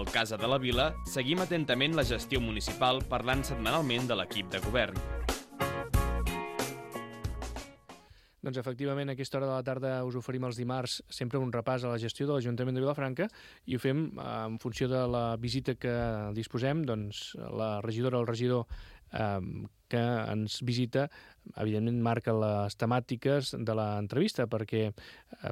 Al Casa de la Vila seguim atentament la gestió municipal parlant setmanalment de l'equip de govern. Doncs efectivament a aquesta hora de la tarda us oferim els dimarts sempre un repàs a la gestió de l'Ajuntament de Vilafranca i ho fem en funció de la visita que disposem, doncs la regidora o el regidor que ens visita, evidentment marca les temàtiques de l'entrevista perquè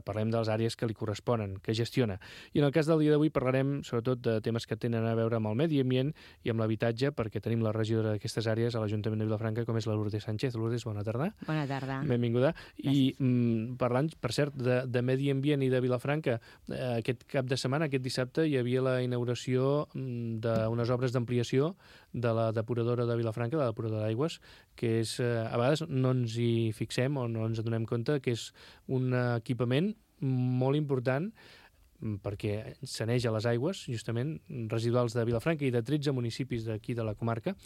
parlem de les àrees que li corresponen, que gestiona. I en el cas del dia d'avui parlarem sobretot de temes que tenen a veure amb el medi ambient i amb l'habitatge, perquè tenim la regidora d'aquestes àrees a l'Ajuntament de Vilafranca, com és la Lourdes Sánchez. Lourdes, bona tarda. Bona tarda. Benvinguda. Gràcies. I parlant, per cert, de medi ambient i de Vilafranca, aquest cap de setmana, aquest dissabte, hi havia la inauguració d'unes obres d'ampliació de la depuradora de Vilafranca, la depuradora d'aigües, que és, a vegades no ens hi fixem o no ens adonem compte que és un equipament molt important perquè saneja les aigües, justament, residuals de Vilafranca i de 13 municipis d'aquí de la comarca,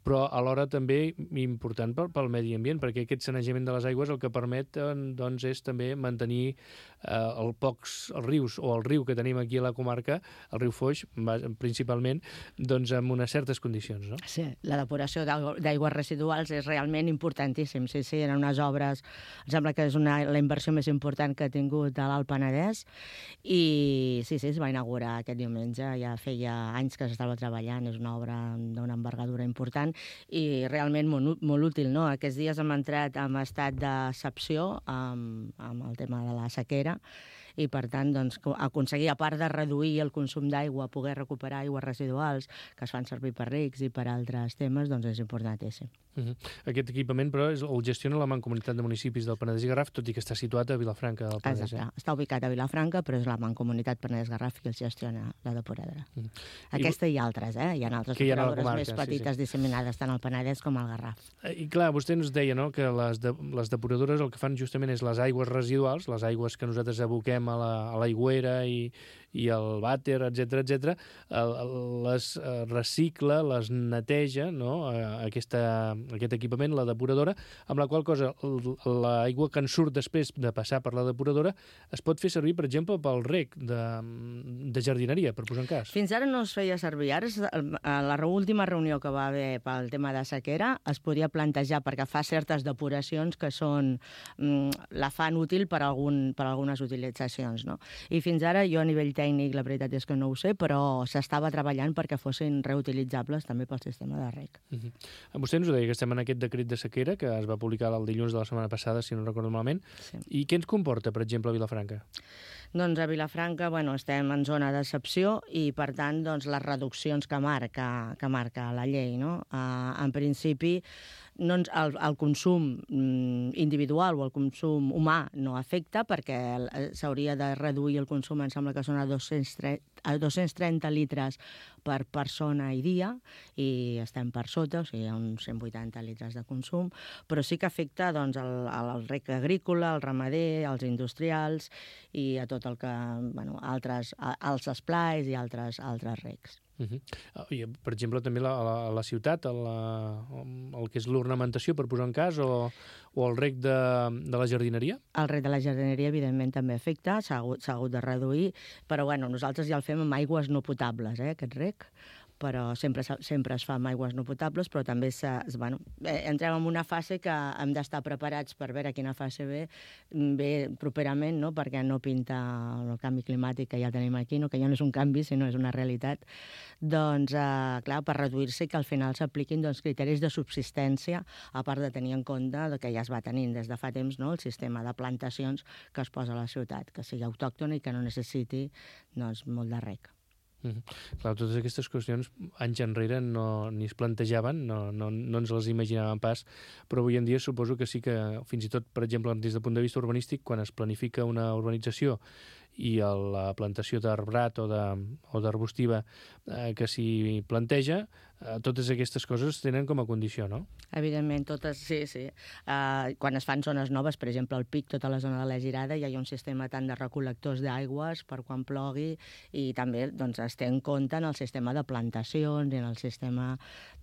però alhora també important pel medi ambient, perquè aquest sanejament de les aigües el que permet doncs, és també mantenir els rius o el riu que tenim aquí a la comarca, el riu Foix, principalment, doncs en unes certes condicions, no? Sí, la depuració d'aigües residuals és realment importantíssim. Sí, eren unes obres, em sembla que és la inversió més important que ha tingut a l'Alt Penedès i sí, es va inaugurar aquest diumenge, ja feia anys que s'estava treballant, és una obra d'una envergadura important i realment molt útil, no? Aquests dies hem entrat en estat d'excepció amb el tema de la sequera i, per tant, doncs, aconseguir, a part de reduir el consum d'aigua, poder recuperar aigües residuals que es fan servir per rics i per altres temes, doncs és importantíssim. Aquest equipament, però, el gestiona la Mancomunitat de Municipis del Penedès i Garraf, tot i que està situat a Vilafranca del Penedès. Exacte, està ubicat a Vilafranca, però és la Mancomunitat Penedès-Garraf que el gestiona la depuradora. Aquesta i altres, hi ha altres depuradores més petites disseminades tant al Penedès com al Garraf. I clar, vostè ens deia, no?, que les depuradores el que fan justament és les aigües residuals, les aigües que nosaltres aboquem a l'aigüera i al vàter, etc, les recicla, les neteja, no?, aquest equipament, la depuradora, amb la qual cosa l'aigua que en surt després de passar per la depuradora es pot fer servir, per exemple, pel rec de jardineria, per posar un cas. Fins ara no es feia servir. Ara, a la última reunió que va haver pel tema de sequera, es podia plantejar perquè fa certes depuracions que la fan útil per algunes utilitzacions, no? I fins ara, jo a nivell tècnic, la veritat és que no ho sé, però s'estava treballant perquè fossin reutilitzables també pel sistema de rec. Vostè ens ho deia, que estem en aquest decret de sequera que es va publicar el dilluns de la setmana passada, si no recordo malament. Sí. I què ens comporta, per exemple, a Vilafranca? Doncs a Vilafranca, estem en zona d'excepció i, per tant, les reduccions que marca la llei, no? En principi, el consum individual o el consum humà no afecta perquè s'hauria de reduir el consum, em sembla que són a 230 litres per persona i dia i estem per sota, o sigui, hi ha uns 180 litres de consum, però sí que afecta el rec agrícola, el ramader, els industrials i a tot el que, els esplais i altres recs. I, per exemple, també a la ciutat, el que és l'ornamentació, per posar un cas, o el rec de la jardineria? El rec de la jardineria, evidentment, també afecta, s'ha hagut de reduir, però nosaltres ja el fem amb aigües no potables, aquest rec, però sempre es fa amb aigües no potables, però també entrem en una fase que hem d'estar preparats per veure quina fase ve properament, no? Perquè no pinta el canvi climàtic que ja tenim aquí, no? Que ja no és un canvi, sinó és una realitat. Doncs, clar, per reduir-se que al final s'apliquin criteris de subsistència, a part de tenir en compte que ja es va tenint des de fa temps, no? El sistema de plantacions que es posa a la ciutat, que sigui autòctona i que no necessiti molt de rec. Clar, totes aquestes qüestions anys enrere ni es plantejaven, no ens les imaginàvem pas, però avui en dia suposo que sí que, fins i tot, per exemple, des del punt de vista urbanístic, quan es planifica una urbanització i la plantació d'arbrat o d'arbustiva que s'hi planteja, totes aquestes coses tenen com a condició, no? Evidentment, totes, sí. Quan es fan zones noves, per exemple, al Pic, tota la zona de la Girada, hi ha un sistema tant de recol·lectors d'aigües per quan plogui i també es té en compte en el sistema de plantacions i en el sistema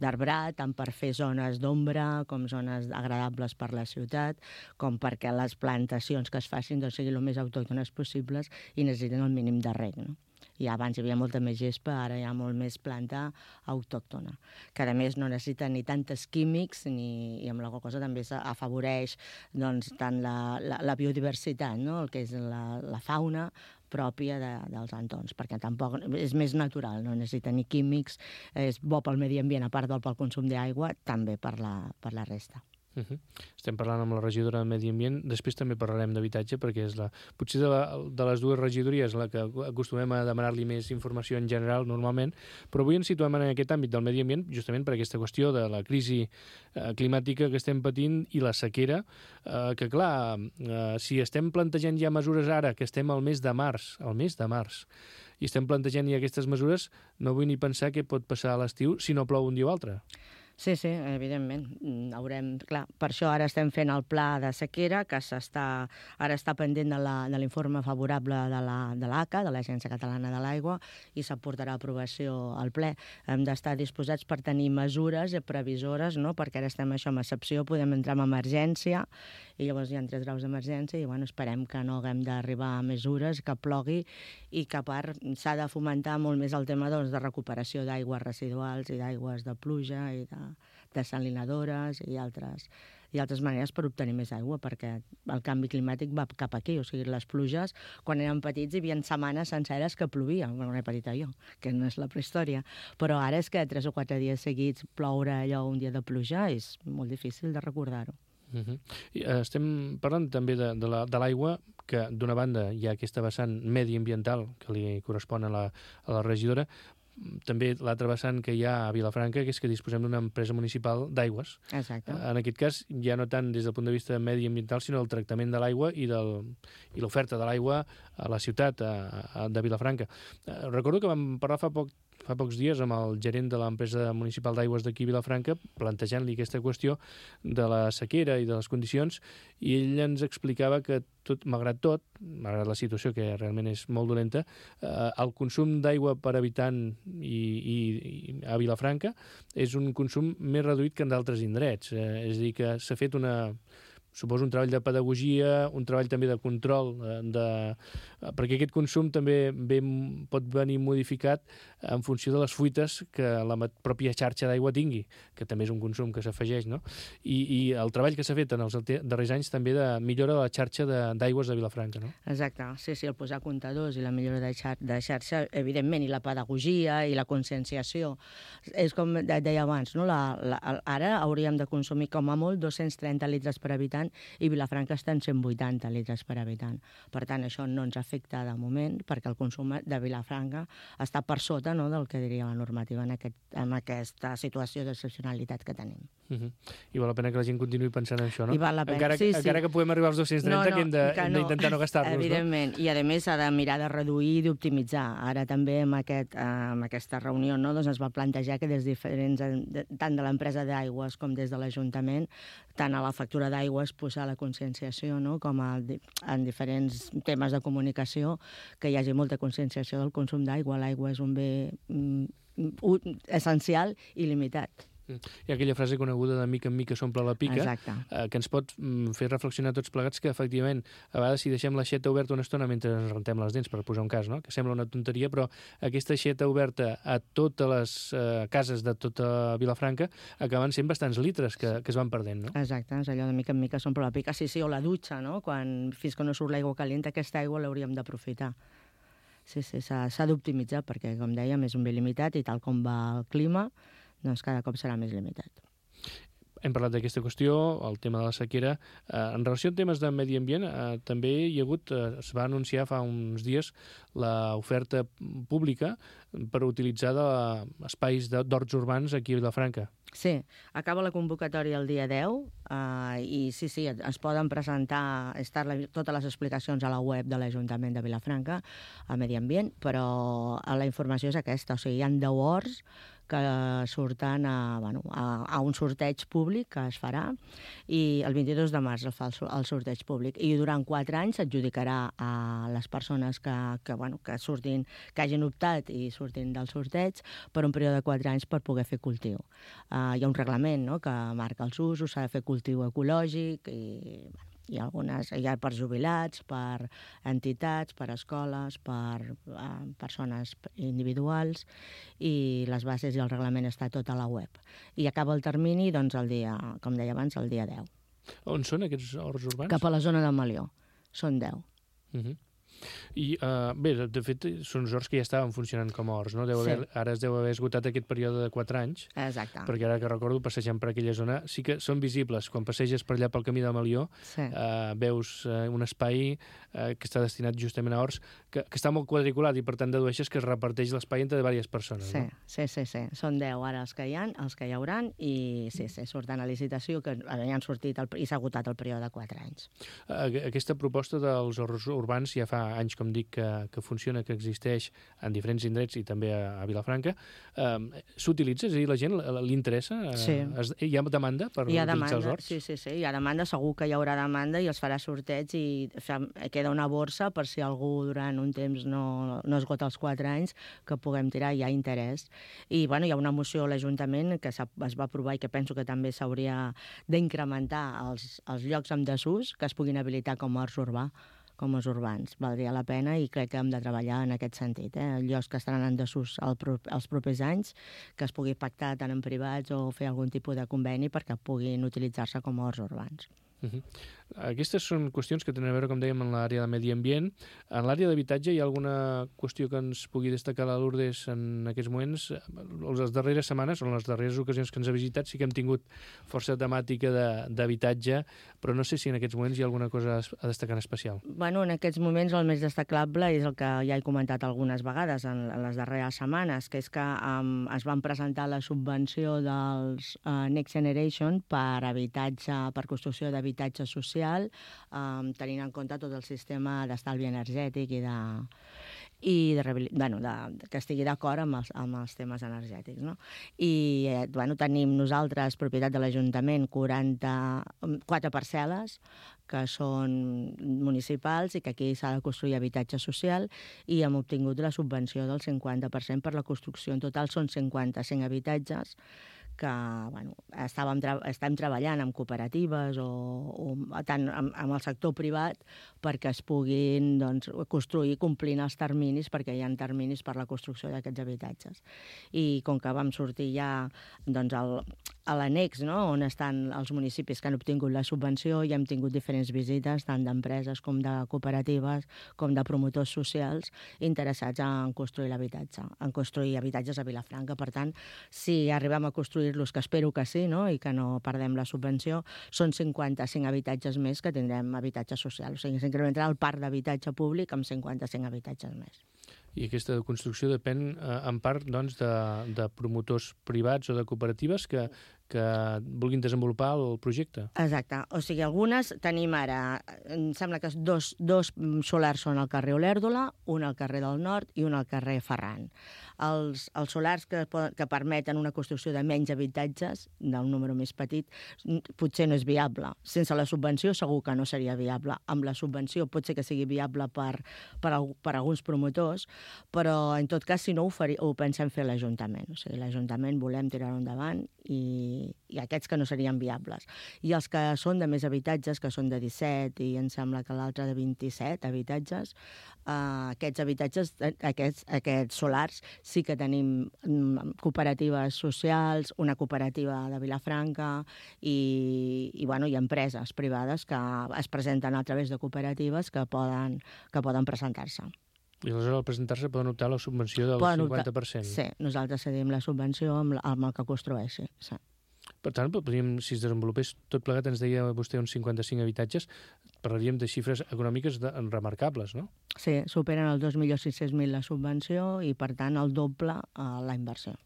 d'arbrat, tant per fer zones d'ombra com zones agradables per la ciutat, com perquè les plantacions que es facin siguin el més autòctones possibles i necessiten el mínim de reg, no? I abans hi havia molta més gespa, ara hi ha molt més planta autòctona, que a més no necessita ni tantes químics i amb la qual cosa també afavoreix doncs, tant la biodiversitat, no? El que és la fauna pròpia dels entorns, perquè tampoc és més natural, no necessita ni químics, és bo pel medi ambient, a part del pel consum d'aigua, també per la resta. Estem parlant amb la regidora de Medi Ambient, després també parlarem d'habitatge, perquè és potser de les dues regidories la que acostumem a demanar-li més informació en general normalment, però avui ens situem en aquest àmbit del medi ambient justament per aquesta qüestió de la crisi climàtica que estem patint i la sequera, que clar, si estem plantejant ja mesures ara, que estem al mes de març, i estem plantejant ja aquestes mesures, no vull ni pensar què pot passar a l'estiu si no plou un dia o altre. Sí, evidentment. Clar, per això ara estem fent el pla de sequera, que ara està pendent de l'informe favorable de l'ACA, de l'Agència Catalana de l'Aigua, i s'aportarà a aprovació al ple. Hem d'estar disposats per tenir mesures previsores, no? Perquè ara estem això, en excepció, podem entrar en emergència, i llavors hi ha 3 graus d'emergència, i esperem que no haguem d'arribar a mesures, que plogui, i que a part s'ha de fomentar molt més el tema de recuperació d'aigües residuals i d'aigües de pluja i de desalinadores i altres maneres per obtenir més aigua, perquè el canvi climàtic va cap aquí. O sigui, les pluges, quan érem petits, hi havia setmanes senceres que plovia. Bueno, no era petita jo, que no és la prehistòria. Però ara és que 3 o 4 dies seguits ploure allò un dia de pluja és molt difícil de recordar-ho. Estem parlant també de l'aigua, que d'una banda hi ha aquesta vessant mediambiental que li correspon a la regidora, també l'altra vessant que hi ha a Vilafranca, que és que disposem d'una empresa municipal d'aigües. Exacte. En aquest cas, ja no tant des del punt de vista mediambiental, sinó el tractament de l'aigua i l'oferta de l'aigua a la ciutat de Vilafranca. Recordo que vam parlar fa pocs dies amb el gerent de l'empresa municipal d'aigües d'aquí a Vilafranca, plantejant-li aquesta qüestió de la sequera i de les condicions, i ell ens explicava que malgrat la situació que realment és molt dolenta, el consum d'aigua per habitant i a Vilafranca és un consum més reduït que en d'altres indrets. És a dir, que s'ha fet suposo un treball de pedagogia, un treball també de control, perquè aquest consum també pot venir modificat en funció de les fuites que la pròpia xarxa d'aigua tingui, que també és un consum que s'afegeix, no? I el treball que s'ha fet en els darrers anys també de millora de la xarxa d'aigües de Vilafranca, no? Exacte, sí, el posar comptadors i la millora de xarxa, evidentment, i la pedagogia i la conscienciació. És com deia abans, no? Ara hauríem de consumir com a molt 230 litres per habitant i Vilafranca està en 180 litres per habitant. Per tant, això no ens afecta de moment perquè el consum de Vilafranca està per sota, no, del que diria la normativa en aquesta situació d'excepcionalitat que tenim. I val la pena que la gent continuï pensant en això, no? I val la pena, encara que puguem arribar als 230, que hem d'intentar no gastar-nos, no? Evidentment, i a més s'ha de mirar de reduir i d'optimitzar. Ara també amb aquesta reunió doncs es va plantejar que des diferents, tant de l'empresa d'aigües com des de l'Ajuntament, tant a la factura d'aigües posar la conscienciació, no? Com en diferents temes de comunicació, que hi hagi molta conscienciació del consum d'aigua. L'aigua és un bé essencial i limitat. Hi ha aquella frase coneguda de mica en mica s'omple la pica, que ens pot fer reflexionar tots plegats que, efectivament, a vegades si deixem l'aixeta oberta una estona mentre ens rentem les dents, per posar un cas, no? Que sembla una tonteria, però aquesta aixeta oberta a totes les cases de tota Vilafranca acaben sent bastants litres que es van perdent, no? Exacte, és allò de mica en mica s'omple la pica. Sí, o la dutxa, no? Fins que no surt l'aigua calenta, aquesta aigua l'hauríem d'aprofitar. Sí, s'ha d'optimitzar perquè, com dèiem, és un bé limitat i tal com va el clima, doncs cada cop serà més limitat. Hem parlat d'aquesta qüestió, el tema de la sequera. En relació amb temes de medi ambient, també es va anunciar fa uns dies l'oferta pública per utilitzar espais d'horts urbans aquí a Vilafranca. Sí, acaba la convocatòria el dia 10 i sí, es poden presentar totes les explicacions a la web de l'Ajuntament de Vilafranca, a Medi Ambient, però la informació és aquesta, o sigui, hi ha 10 horts que surten a un sorteig públic que es farà i el 22 de març es fa el sorteig públic i durant 4 anys s'adjudicarà a les persones que hagin optat i surtin del sorteig per un període de 4 anys per poder fer cultiu. Hi ha un reglament, no?, que marca els usos, s'ha de fer cultiu ecològic i Hi ha algunes, hi ha per jubilats, per entitats, per escoles, per persones individuals, i les bases i el reglament està tot a la web. I acaba el termini, doncs, el dia, com deia abans, el dia 10. On són aquests horts urbans? Cap a la zona de Malió. Són 10. I bé, de fet, són uns horts que ja estaven funcionant com a horts, no? Ara es deu haver esgotat aquest període de 4 anys. Exacte. Perquè ara que recordo, passejant per aquella zona, sí que són visibles. Quan passeges per allà pel camí de Malió, veus un espai que està destinat justament a horts, que està molt quadriculat i per tant dedueixes que es reparteix l'espai entre diverses persones. Sí, no? sí. Són 10 ara els que hi ha, els que hi hauran, i sí, surten a licitació, que han sortit i s'ha agotat el període de 4 anys. Aquesta proposta dels horts urbans ja fa anys, com dic, que funciona, que existeix en diferents indrets i també a Vilafranca. S'utilitza? És a dir, la gent li interessa? Sí. Hi ha demanda per utilitzar els horts? Sí, hi ha demanda, segur que hi haurà demanda i els farà sorteig i queda una borsa per si algú durant un temps no esgota els 4 anys, que puguem tirar, hi ha interès. I hi ha una moció a l'Ajuntament que es va aprovar i que penso que també s'hauria d'incrementar els llocs en desús que es puguin habilitar com a horts urbans. Valdria la pena i crec que hem de treballar en aquest sentit. Llocs que estaran en desús els propers anys, que es pugui pactar tant en privats o fer algun tipus de conveni perquè puguin utilitzar-se com a horts urbans. Aquestes són qüestions que tenen a veure, com dèiem, en l'àrea de medi ambient. En l'àrea d'habitatge hi ha alguna qüestió que ens pugui destacar la Lourdes en aquests moments? Les darreres setmanes, o les darreres ocasions que ens ha visitat, sí que hem tingut força temàtica d'habitatge, però no sé si en aquests moments hi ha alguna cosa a destacar en especial. En aquests moments el més destacable és el que ja he comentat algunes vegades en les darreres setmanes, que és que es van presentar la subvenció dels Next Generation per construcció d'habitatge social, tenint en compte tot el sistema d'estalvi energètic que estigui d'acord amb els temes energètics. No? I tenim nosaltres, propietat de l'Ajuntament, 4 parcel·les que són municipals i que aquí s'ha de construir habitatge social, i hem obtingut la subvenció del 50% per la construcció. En total són 55 habitatges que estem treballant amb cooperatives o tant amb el sector privat perquè es puguin construir complint els terminis, perquè hi ha terminis per la construcció d'aquests habitatges. I com que vam sortir ja a l'annex, on estan els municipis que han obtingut la subvenció, i hem tingut diferents visites, tant d'empreses com de cooperatives, com de promotors socials interessats en construir l'habitatge, en construir habitatges a Vilafranca. Per tant, si arribem a construir-los, que espero que sí, i que no perdem la subvenció, són 55 habitatges més que tindrem habitatge social. O sigui, s'incrementarà el parc d'habitatge públic amb 55 habitatges més. I aquesta construcció depèn en part de promotors privats o de cooperatives que vulguin desenvolupar el projecte. Exacte. O sigui, algunes tenim ara, em sembla que dos solars són al carrer Olèrdola, un al carrer del Nord i un al carrer Ferran. Els solars que permeten una construcció de menys habitatges, d'un número més petit, potser no és viable. Sense la subvenció segur que no seria viable. Amb la subvenció pot ser que sigui viable per alguns promotors, però en tot cas, si no, ho pensem fer a l'Ajuntament. O sigui, l'Ajuntament volem tirar-ho endavant i aquests que no serien viables. I els que són de més habitatges, que són de 17 i em sembla que l'altre de 27 habitatges, aquests habitatges, aquests solars, sí que tenim cooperatives socials, una cooperativa de Vilafranca i empreses privades que es presenten a través de cooperatives que poden presentar-se. I aleshores al presentar-se poden optar a la subvenció del 50%. Sí, nosaltres cedim la subvenció amb el que construeixi. Sí. Per tant, si es desenvolupés tot plegat, ens deia vostè uns 55 habitatges, parlaríem de xifres econòmiques remarcables, no? Sí, superen el 2.600.000 la subvenció i, per tant, el doble la inversió.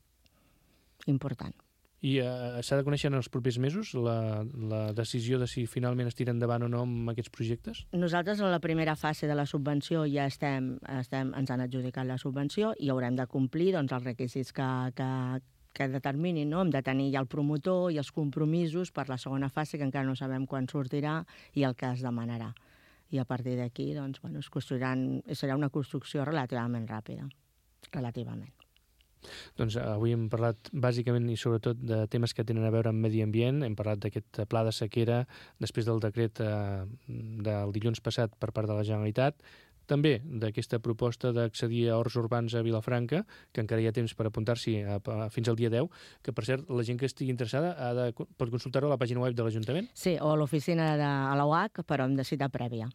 Important. I s'ha de conèixer en els propers mesos la decisió de si finalment es tira endavant o no amb aquests projectes? Nosaltres, en la primera fase de la subvenció, ja ens han adjudicat la subvenció i haurem de complir els requisits que determinin, no? Hem de tenir ja el promotor i els compromisos per la segona fase, que encara no sabem quan sortirà i el que es demanarà. I a partir d'aquí, serà una construcció relativament ràpida. Relativament. Doncs avui hem parlat bàsicament i sobretot de temes que tenen a veure amb medi ambient. Hem parlat d'aquest pla de sequera després del decret del dilluns passat per part de la Generalitat. També d'aquesta proposta d'accedir a horts urbans a Vilafranca, que encara hi ha temps per apuntar-s'hi fins al dia 10, que, per cert, la gent que estigui interessada pot consultar-ho a la pàgina web de l'Ajuntament. Sí, o a l'oficina de la UAC, però amb cita prèvia.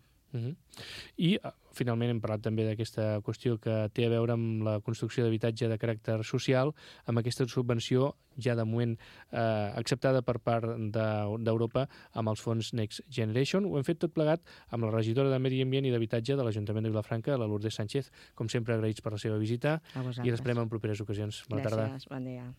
I finalment hem parlat també d'aquesta qüestió que té a veure amb la construcció d'habitatge de caràcter social, amb aquesta subvenció ja de moment acceptada per part d'Europa amb els fons Next Generation. Ho hem fet tot plegat amb la regidora de Medi Ambient i d'Habitatge de l'Ajuntament de Vilafranca, la Lourdes Sánchez. Com sempre, agraïts per la seva visita i l'esperem en properes ocasions. Bona tarda. Gràcies, bon dia.